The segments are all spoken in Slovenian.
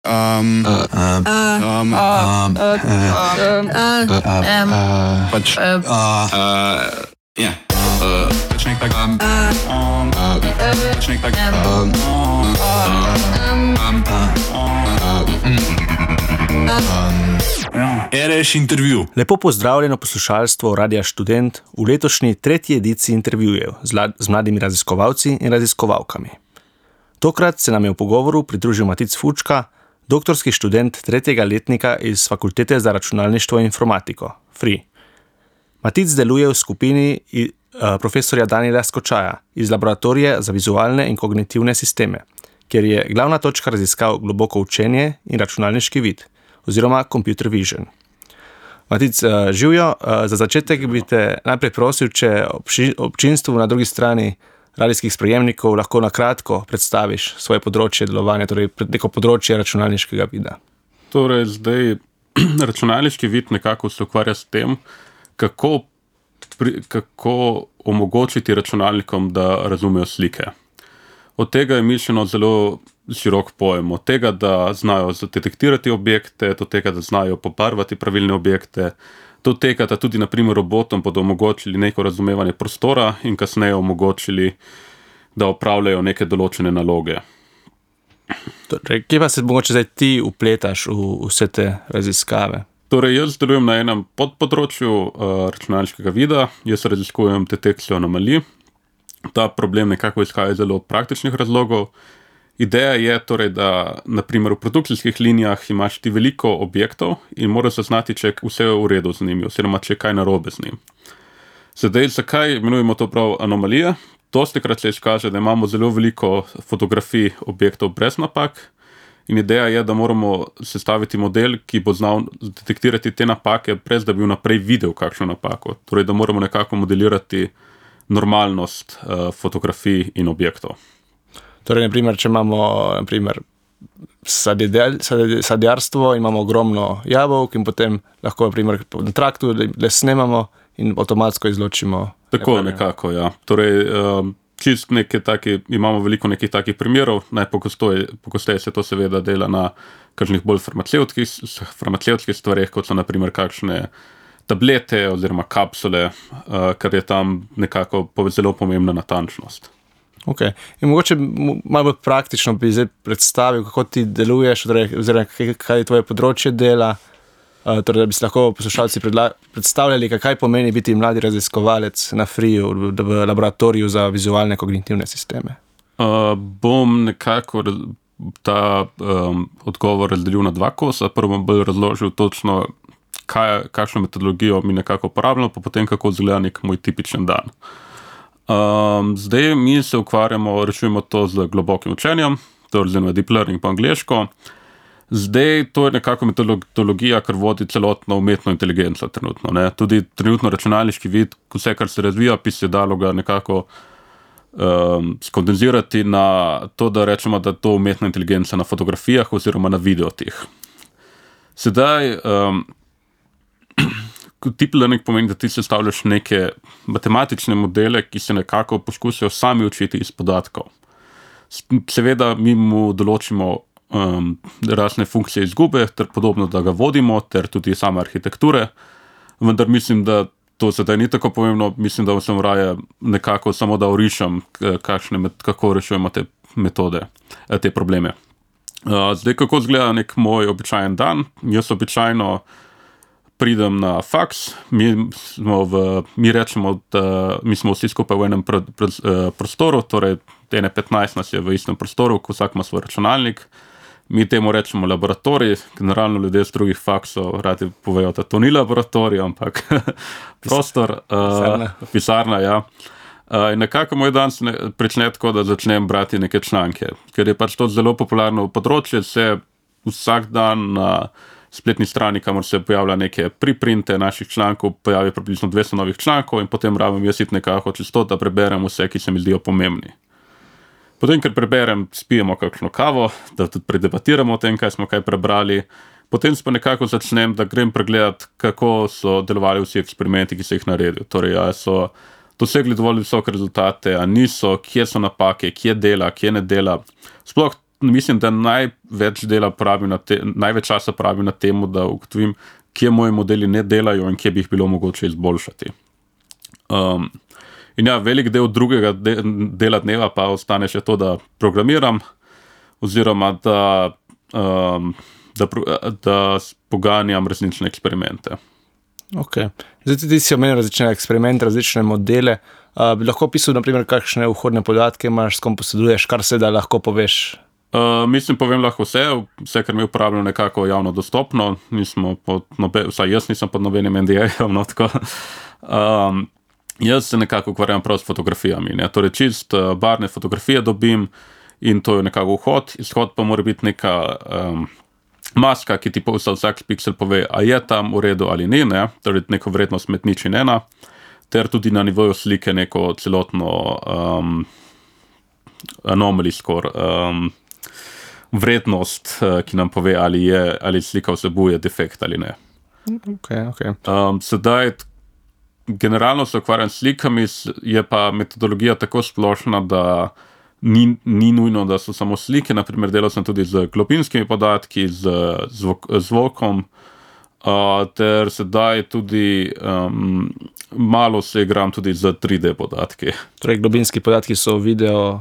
RS intervju. Lepo pozdravljeno poslušalstvo Radia Študent v letošnji tretji ediciji intervjujev z mladimi raziskovalci in raziskovalkami. Tokrat se nam je v pogovoru pridružil Matic Fučka, doktorski študent tretjega letnika iz Fakultete za računalništvo in informatiko, FRI. Matic deluje v skupini profesorja Danijela Skočaja iz Laboratorija za vizualne in kognitivne sisteme, kjer je glavna točka raziskav globoko učenje in računalniški vid, oziroma computer vision. Matic, živjo, za začetek bi te najprej prosil, če občinstvu na drugi strani radijskih sprejemnikov lahko na kratko predstaviš svoje področje delovanja, torej neko področje računalniškega vida. Torej, zdaj računalniški vid nekako se ukvarja s tem, kako omogočiti računalnikom, da razumejo slike. Od tega je mišljeno zelo širok pojem, od tega, da znajo detektirati objekte, do tega, da znajo pobarvati pravilne objekte, do tega, da tudi na primer robotom bodo omogočili neko razumevanje prostora in kasneje omogočili, da opravljajo neke določene naloge. Torej, kje pa se mogoče zdaj ti upletaš v vse te raziskave? Torej, jaz delujem na enem podpodročju računalniškega vida, jaz raziskujem detekcijo anomalij. Ta problem nekako izhaja iz zelo praktičnih razlogov. Ideja je torej, da na primer v produkcijskih linijah imaš ti veliko objektov in moraš zaznati, če vse je v redu z njimi, oziroma če je kaj narobe z njim. Sedaj, zakaj imenujemo to prav anomalije? Dostikrat se izkaže, da imamo zelo veliko fotografij objektov brez napak in ideja je, da moramo sestaviti model, ki bo znal detektirati te napake, brez da bi vnaprej videl kakšno napako. Torej, da moramo nekako modelirati normalnost fotografij in objektov. Torej, naprimer, če imamo sadjarstvo, imamo ogromno jabolk in potem lahko naprimer, na traktu le snemamo in avtomatsko izločimo. Tako nekako, ja. Torej, čist neke taki, imamo veliko nekih takih primerov, najpogosteje se to seveda dela na kakšnih bolj farmacevtskih stvareh, kot so naprimer kakšne tablete oziroma kapsule, ker je tam nekako zelo pomembna natančnost. Ok. In mogoče malo bolj praktično bi zdaj predstavil, kako ti deluješ, oziroma kaj je tvoje področje dela, torej, da bi si lahko poslušalci predstavljali, kaj pomeni biti mladi raziskovalec na FRI-ju v Laboratoriju za vizualne kognitivne sisteme. Bom nekako ta odgovor razdelil na dva kosa. Prvo bom bolj razložil točno, kakšno metodologijo mi nekako uporabljamo, pa potem kako izgleda nek moj tipičen dan. Zdaj mi se ukvarjamo, rešujemo to z globokim učenjem, to je deep learning po angleško. Zdaj to je nekako metodologija, kar vodi celotno umetno inteligenco trenutno. Ne? Tudi trenutno računalniški vid, vse, kar se razvija, bi se dalo ga nekako skondenzirati na to, da rečemo, da to umetna inteligenca na fotografijah oziroma na videotih. Sedaj deep learning pomeni, da ti sestavljaš neke matematične modele, ki se nekako poskusijo sami učiti iz podatkov. Seveda mi mu določimo razne funkcije izgube, ter podobno, da ga vodimo, ter tudi same arhitekture, vendar mislim, da to sedaj ni tako pomembno, mislim, da sem raje nekako samo da orišem, kako rešujemo te metode, te probleme. Zdaj, kako izgleda nek moj običajen dan? Jaz običajno pridem na faks, mi rečemo, da mi smo vsi skupaj v enem prostoru, torej 15 nas je v istem prostoru, vsak ima svoj računalnik. Mi temu rečemo laboratorij, generalno ljudje z drugih faksov radi povejo, da to ni laboratorij, ampak prostor, pisarna, ja. In nekako moj dan se prične tako, da začnem brati neke članke, ker je pač to zelo popularno področje, se vsak dan na spletni strani, kamor se pojavlja neke preprinte naših člankov, pojavi približno 200 novih člankov in potem rabim jaz iti nekako čez to, da preberem vse, ki se mi zdijo pomembni. Potem, ker preberem, spijemo kakšno kavo, da tudi predebatiramo o tem, kaj smo kaj prebrali. Potem pa nekako začnem, da grem pregledati, kako so delovali vsi eksperimenti, ki so jih naredil. Torej, a so dosegli dovolj visoke rezultate, a niso, kje so napake, kje dela, kje ne dela. Sploh mislim, da največ časa pravim na temu, da ugotovim, kje moji modeli ne delajo in kje bi jih bilo mogoče izboljšati. In ja, velik del drugega dela dneva pa ostane še to, da programiram, oziroma da poganjam različne eksperimente. Ok. Zdaj ti si omenil različne eksperimente, različne modele. Bi lahko opisal, naprimer, kakšne vhodne podatke imaš, s kom posreduješ, kar se da lahko poveš? Povem lahko vse, kar mi uporabljam nekako javno dostopno, vsaj jaz nisem pod nobenim NDA-jem, no tako. Jaz se nekako ukvarjam prav s fotografijami, ne? Torej čist barvne fotografije dobim in to je nekako vhod, izhod pa mora biti neka maska, ki ti za vsak piksel pove, a je tam v redu ali ni, ne? Torej neko vrednost med nič in ena, ter tudi na nivoju slike neko celotno anomaly score, vrednost, ki nam pove, ali slika vsebuje defekt ali ne. Okay. Sedaj generalno se ukvarjam s slikami, je pa metodologija tako splošna, da ni nujno, da so samo slike. Naprimer, delal sem tudi z globinskimi podatki, z zvokom, ter sedaj tudi malo se igram tudi z 3D podatki. Torej, globinski podatki so video?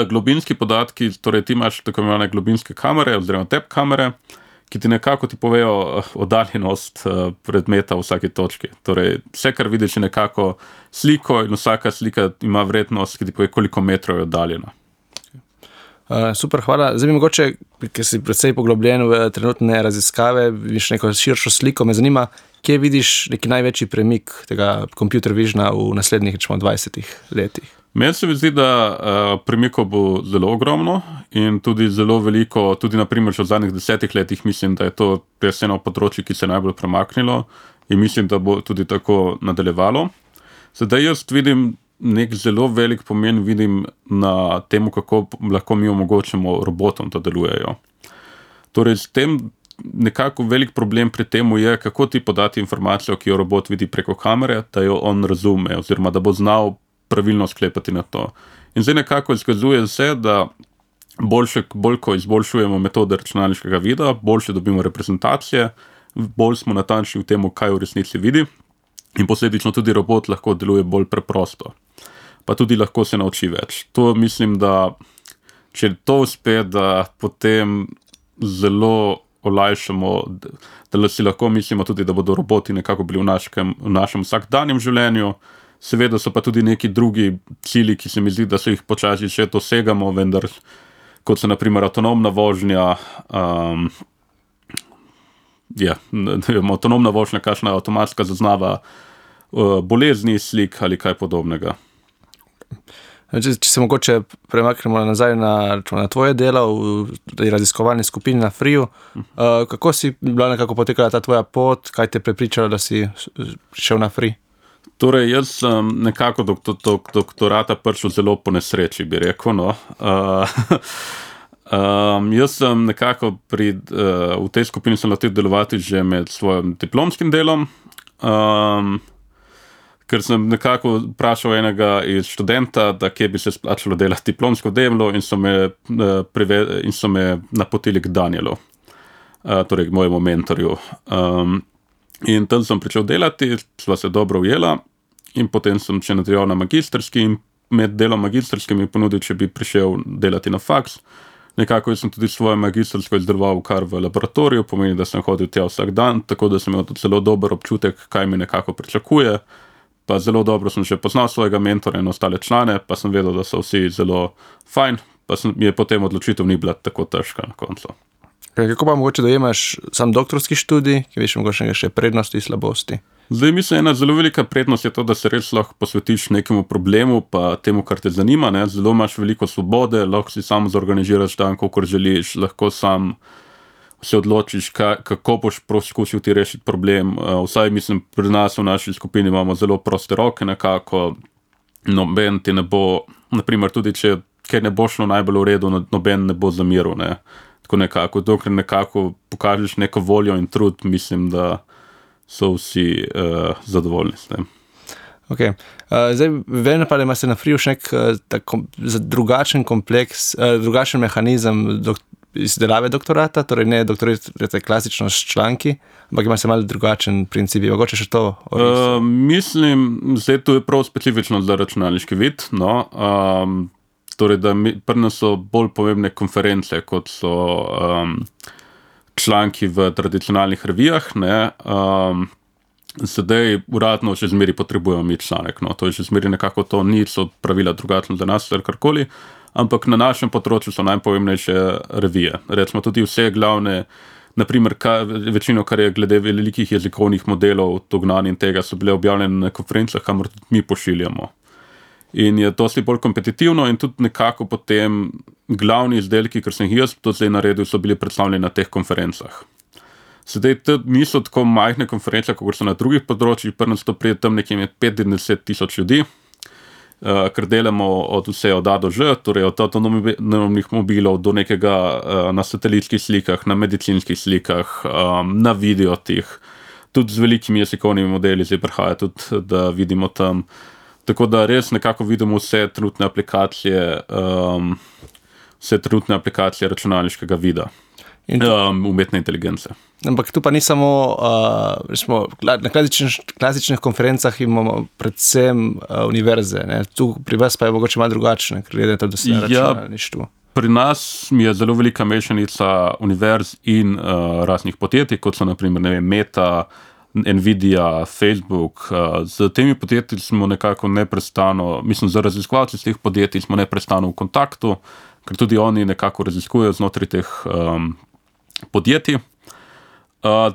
Globinski podatki, torej ti imaš tako imenovane globinske kamere oziroma tep kamere, ki ti nekako povejo oddaljenost predmeta v vsaki točki. Torej, vse, kar vidiš, je nekako sliko in vsaka slika ima vrednost, ki ti pove, koliko metrov je oddaljena. Super, hvala. Zdaj mi mogoče, ker si precej poglobljen v trenutne raziskave, vidiš neko širšo sliko, me zanima, kje vidiš neki največji premik tega computer visiona v naslednjih 20 letih? Meni se mi zdi, da premikov bo zelo ogromno in tudi zelo veliko, tudi naprimer v zadnjih 10 letih mislim, da je to res eno področje, ki se je najbolj premaknilo in mislim, da bo tudi tako nadaljevalo. Sedaj jaz vidim nek zelo velik pomen na temu, kako lahko mi omogočimo robotom, da delujejo. Torej, s tem nekako velik problem pri temu je, kako ti podati informacijo, ki jo robot vidi preko kamere, da jo on razume oziroma da bo znal pravilno sklepati na to. In zdaj nekako izkazuje se, da bolj ko izboljšujemo metode računalniškega vida, boljše dobimo reprezentacije, bolj smo natančni v tem, kaj v resnici vidi in posledično tudi robot lahko deluje bolj preprosto. Pa tudi lahko se nauči več. To mislim, da če to uspe, da potem zelo olajšamo, da si lahko mislimo tudi, da bodo roboti nekako bili v našem vsakdanjem življenju. Seveda so pa tudi neki drugi cilji, ki se mi zdi, da se jih počasi še dosegamo, vendar kot so naprimer avtonomna vožnja, avtonomna vožnja, kakšna avtomatska zaznava bolezni, slik ali kaj podobnega. Če se mogoče premaknemo nazaj na tvoje delo v raziskovalni skupini na FRIU, kako si bila nekako potekala ta tvoja pot, kaj te prepričalo, da si šel na FRI? Torej, jaz sem nekako doktorata prišel zelo po nesreči, bi rekel, no. Jaz sem nekako v tej skupini sem letel delovati že med svojim diplomskim delom, ker sem nekako vprašal enega iz študenta, da kje bi se splačalo delati diplomsko delo in so me napotili k Danielu, torej k mojemu mentorju. In tam sem pričel delati, sva se dobro ujela in potem sem še nadaljeval na magistrski in med delom magistrski mi ponudil, če bi prišel delati na faks. Nekako sem tudi svojo magistrsko izdeloval kar v laboratoriju, pomeni, da sem hodil tja vsak dan, tako da sem imel tudi zelo dober občutek, kaj mi nekako pričakuje. Pa zelo dobro sem še poznal svojega mentora in ostale člane, pa sem vedel, da so vsi zelo fajn, pa mi je potem odločitev ni bila tako težka na koncu. Kako pa mogoče dojemaš sam doktorski študij, ki veš mogoče še prednosti, slabosti? Zdaj mislim, ena zelo velika prednost je to, da se res lahko posvetiš nekemu problemu pa temu, kar te zanima, ne? Zelo imaš veliko svobode, lahko si sam zorganiziraš dan, kakor želiš, lahko sam se odločiš, kako boš poskusil ti rešiti problem. Vsaj mislim, pri nas v naši skupini imamo zelo proste roke nekako, noben ti ne bo, naprimer tudi če kaj ne bo šlo najbolj v redu, noben ne bo zamiral, ne. Tako nekako, dokler nekako pokažeš neko voljo in trud, mislim, da so vsi zadovoljni s tem. Okay. Zdaj, vem pa, da imate na Freeu še nek drugačen kompleks, drugačen mehanizem izdelave doktorata, torej ne doktorirate klasično s članki, ampak ima se malo drugačen princip. Mogoče še to? Mislim, zdaj to je prav specifično za računalniški vid, no. Torej, da pri nas so bolj pomembne konference, kot so članki v tradicionalnih revijah, ne. Sedaj uradno še zmeri potrebujemo mi članek, no. To je še zmeri nekako to, niso pravila drugačno za nas, karkoli, ampak na našem področju so najpomembnejše revije. Recimo tudi vse glavne, naprimer večino, kar je glede velikih jezikovnih modelov, dognanj in tega, so bile objavljene na konferencah, kamor tudi mi pošiljamo. In je dosti bolj kompetitivno in tudi nekako potem glavni izdelki, ker sem jih jaz to zdaj naredil, so bili predstavljeni na teh konferencah. Sedaj niso tako majhne konference, kot so na drugih področjih, pri nas to pride tam nekje med 5 in 10 tisoč ljudi, ker delamo od vse od A do Ž, torej od avtonomnih mobilov do nekega na satelitskih slikah, na medicinskih slikah, na videotih, tudi z velikimi jezikovnimi modeli zdaj prihaja tudi, da vidimo tam. Tako da res nekako vidimo vse trenutne aplikacije računalniškega vida. Umetne inteligence. Ampak tu pa ni samo, na klasičnih konferencah imamo predvsem univerze, ne? Tu pri vas pa je mogoče malo drugačne, ker gledate, da se računalništvo. Pri nas je zelo velika mešanica univerz in raznih podjetij, kot so naprimer, ne vem, Meta, Nvidia, Facebook. Z temi podjetji smo nekako neprestano, mislim, za raziskovalci z teh podjetij smo neprestano v kontaktu, ker tudi oni nekako raziskujejo znotraj teh podjetij.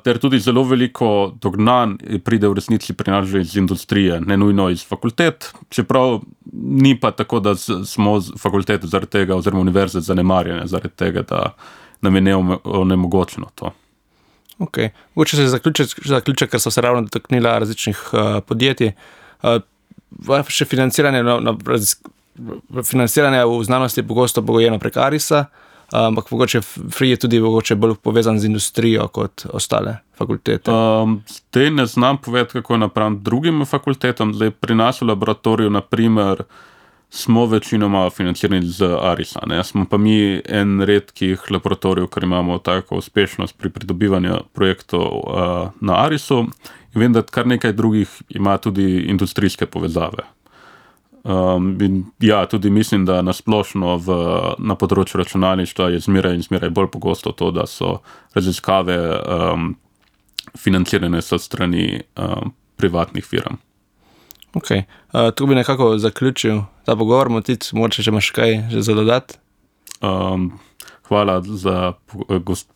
Ter tudi zelo veliko dognanj pride v resnici pri nas že iz industrije, ne nujno iz fakultet, čeprav ni pa tako, da smo fakultete zaradi tega oziroma univerze zanemarjene zaradi tega, da nam je onemogočeno to. Ok. Mogoče se zaključek, ker so se ravno dotaknila različnih podjetij. Vaše financiranje v znanosti je pogosto pogojeno prek Arisa, ampak mogoče Free je tudi mogoče bolj povezan z industrijo kot ostale fakultete. Zdaj ne znam povedati, kako je napram drugim fakultetam. Zdaj pri nas v laboratoriju, naprimer, smo večinoma financirani z Arisa, ne? Smo pa mi en redkih laboratorijev, ker imamo tako uspešnost pri pridobivanju projektov na Arisu, in vem, da kar nekaj drugih ima tudi industrijske povezave. In ja, tudi mislim, da nasplošno na področju računalništva je zmeraj bolj pogosto to, da so raziskave financirane s strani privatnih firm. Ok, tu bi nekako zaključil ta pogovor, Matic, mogoče, če imaš kaj že za dodati? Hvala za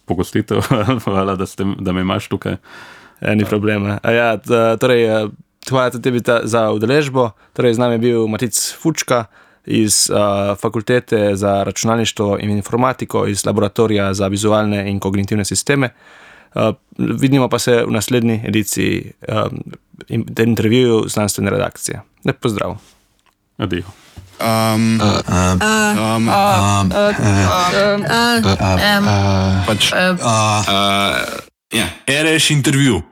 pogostitev, hvala, da me imaš tukaj. Ni problema. Torej, hvala tudi tebi za udeležbo. Torej, z nami je bil Matic Fučka iz Fakultete za računalništvo in informatiko iz Laboratorija za vizualne in kognitivne sisteme. Vidimo pa se v naslednji ediciji intervjuju znanstvene redakcije. Lep pozdrav. Adijo. RS intervju.